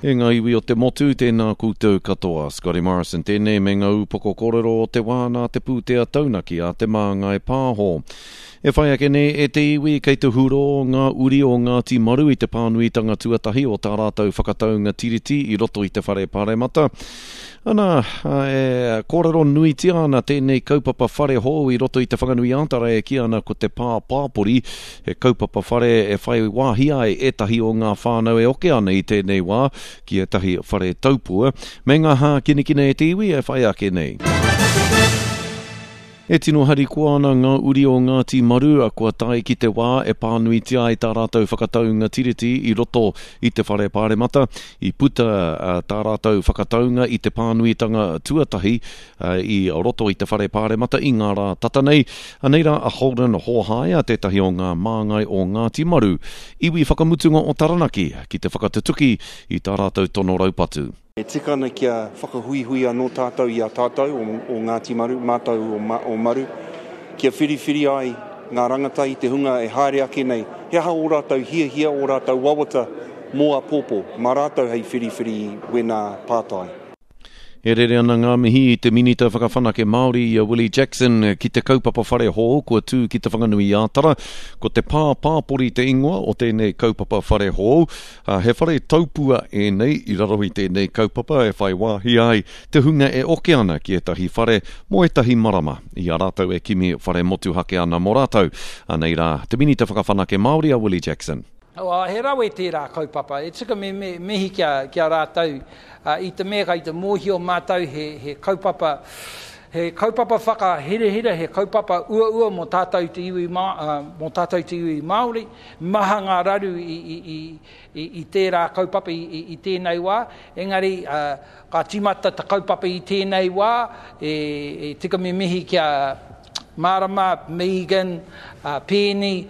E ngā iwi o te motu, tēnā koutou katoa. Scotty Morrison tēnei me ngā upoko kōrero o te wā nā te pūtea taunaki a Te Māngai Pāho. E whai ake nei e te iwi kei te hurō ngā uri o Ngāti Maru i te pānuitanga tuatahi o tā rātou whakataunga tiriti i roto i te whare paremata. Ana, e kōrero nuitia ana tēnei kaupapa whare hou i roto i Te Whanganui-ā-Tara e kī ana ko te pā pāpori, he kaupapa whare e whai wāhi ai ētahi o ngā whānau e oke ana i tēnei wā ki ētahi whare taupua, me ngā hākinakina e te iwi e whai ake nei. E tino harikoa ana ngā uri o Ngāti Maru, kua tae ki te wā e pānuitia ai tā rātou whakataunga Tiriti i roto i te Whare Pāremata. I puta tā rātou whakataunga i te pānuitanga tuatahi i roto i te Whare Pāremata i ngā rā tata nei. Anei rā a Holden Hōhaia, tētahi o ngā māngai o Ngāti Maru, iwi whakamutunga o Taranaki, ki te whakatutuki i tā rātou tono raupatu. E tika ana kia whakahuihui anō tātou i a tātou o Ngāti Maru, mātou o Maru, kia whiriwhiri ai ngā rangatahi, te hunga e haere ake nei, he aha ō rātou hiahia, ō rātou wawata mō āpōpō, mā rātou hei whiriwhiri i wēnā pātai. E rere ana ngā mihi i te Minita Whakawhanake Māori i a Willie Jackson ki te kaupapa whare hou kua tū ki Te Whanganui-ā-Tara. Ko te Pā Pāpori te ingoa o tēnei kaupapa whare hou. Ā, he whare taupua ēnei i raro i tēnei kaupapa e whai wāhi ai te hunga e oke ana ki ētahi whare mō ētahi marama, i a rātou e kimi whare motuhake ana mō rātou. Anei rā te Minita Whakawhanake Māori a Willie Jackson. Ā, he rawe tērā kaupapa. E tika me mihi ki a rātou, i te mea kei te mōhio mātou he kaupapa, he kaupapa whakahirahira, he kaupapa uaua mō tātou te iwi, mō tātou te iwi Māori. Maha ngā raru i tērā kaupapa i tēnei wā, engari ka tīmata te kaupapa i tēnei wā, e tika me mihi ki a Marama, Megan, Peeni,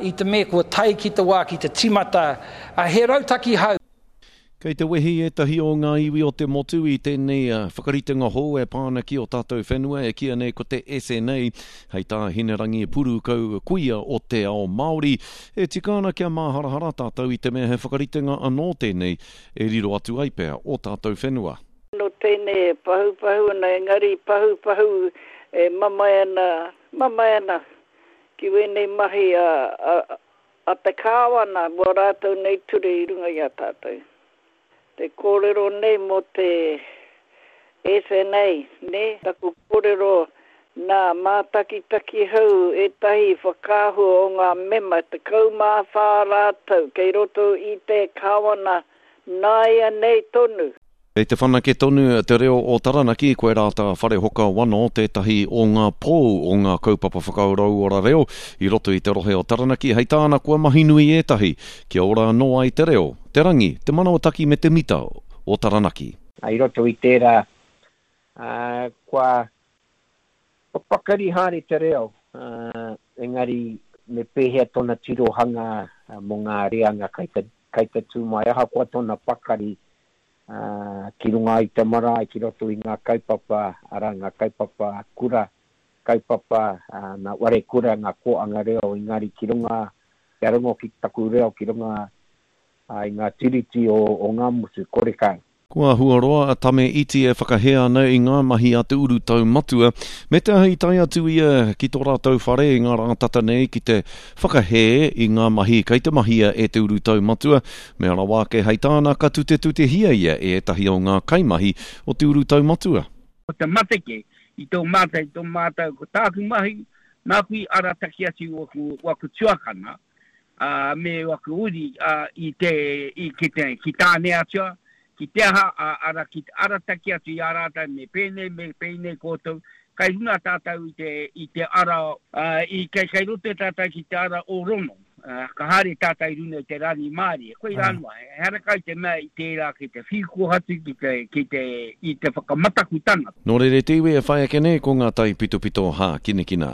i te mea kua tae ki te wā ki te tīmata he rautaki hou. Kei te wehi ētahi o ngā iwi o te motu i tēnei whakaritenga hou e pā ana ki ō tātou whenua e kīia nei ko te SNA, hei tā Hinerangi Purukau kuia o te ao Māori. E tika ana kia māharahara tātou i te mea he whakaritenga anō tēnei e riro atu ai pea ō tātou whenua. No tēnei e pahupahu ana engari pahupahu e mamae ana, mamae ana ki wēnei mahi a, a, A te Kāwana mō rātou nei ture i runga i a tātou. Te kōrero nei mō te SNA, nē? Taku kōrero, nā, mātakitaki hou ētahi whakaahua o ngā mema, 14 rātou kei roto i te Kāwana nāianei tonu. Kei te whanake tonu te reo o Taranaki, koirā tā Wharehoka Wano tētahi o ngā pou o ngā kaupapa whakarauora reo i roto i te rohe o Taranaki, hei tāna kua mahi nui ētahi kia ora anō ai te reo, te rangi, te manawataki me te mita o Taranaki. I roto i tērā, kua pakari haere te reo, engari me pēhea tōna tirohanga mō ngā reanga kei te tū mai, ahakoa tōna pakari ki runga i te marae, ki roto i ngā kaupapa, arā, ngā kaupapa kura, kaupapa ngā ware kura, ngā kōanga reo, engari ki runga, kia rongo ki taku reo ki runga i ngā tiriti o Ngāmotu, kore kau. Kua āhua roa a Tame Iti e whakahē ana i ngā mahi a te urutau matua, me te aha i tae atu ia ki tō rātou whare i ngā rā tata nei ki te whakahē i ngā mahi kei te mahia e te urutau matua, Mea rawa ake hei tāna ka tutetutehia ia e ētahi o ngā kaimahi o te urutau matua. Ko te mateke i tō mātou, i tō mātou, ko tāku mahi, nāku i arataki atu waku, waku tuakana, ā, me waku uri, ā, i te, i, ki te, ki Tāneatua, ki te aha, ā, ara, ki te arataki atu i a rātou, me pēnei, me pēnei koutou, Kei runga tātou i te, i te ara, ā, i, kei, kei roto tātou ki te ara o Rono, ā, ka haere tātou i runga i te rangimārie. Koirā noa, ehara kau te mea i tērā ki te whirikohatu, ki te, ki te, i te whakamataku tangata. Nō reira te iwi e whai ake nei ko ngā taipitopito hākinakina.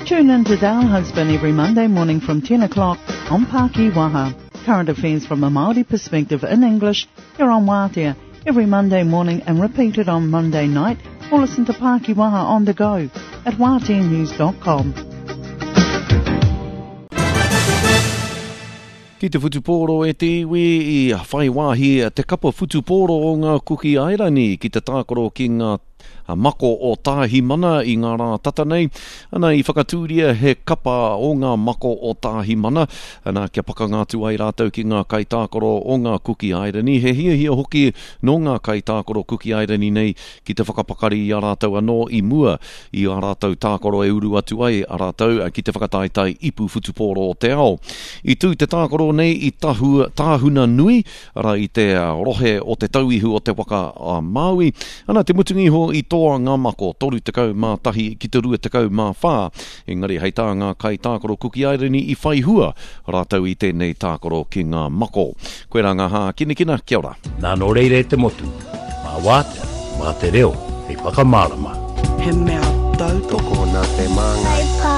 Tune in to Dale Husband every Monday morning from 10 o'clock on Paki Waha. Current affairs from a Māori perspective in English here on Wātea every Monday morning and repeated on Monday night or listen to Paki Waha on the go at wāteanews.com. Ki te whutupōro e te iwi, i whai wāhi te kapa whutupōro o ngā Kuki Airani ki te tākaro ki ngā mako o Tāhimana i ngā rā tata nei. Ana, i whakatūria he kapa o ngā mako o Tāhimana, ana, kia pakanga atu ai rātou ki ngā kaitākaro o ngā Kuki Airani. He hiahia hoki nō ngā kaitākaro Kuki Airani nei ki te whakapakari i a rātou anō i mua i ā rātou tākaro e uru atu ai a rātou ki te whakataetae ipu whutupōro o te ao. I tū te tākaro nei i Tahu, Tāhuna Nui, arā i te rohe o Te Tauihu o te Waka a Māui, ana te mutunga iho i toa ngā mako 31 ki te 24, engari hei tā ngā kaitākaro Kuki Airani i whai hua rātou i tēnei tākaro ki ngā mako. Koirā ngā hākinakina, kia ora. Nā nō reira e te motu, mā wātea, mā te reo hei whakamārama. He mea tautoko. Tokona te māngai.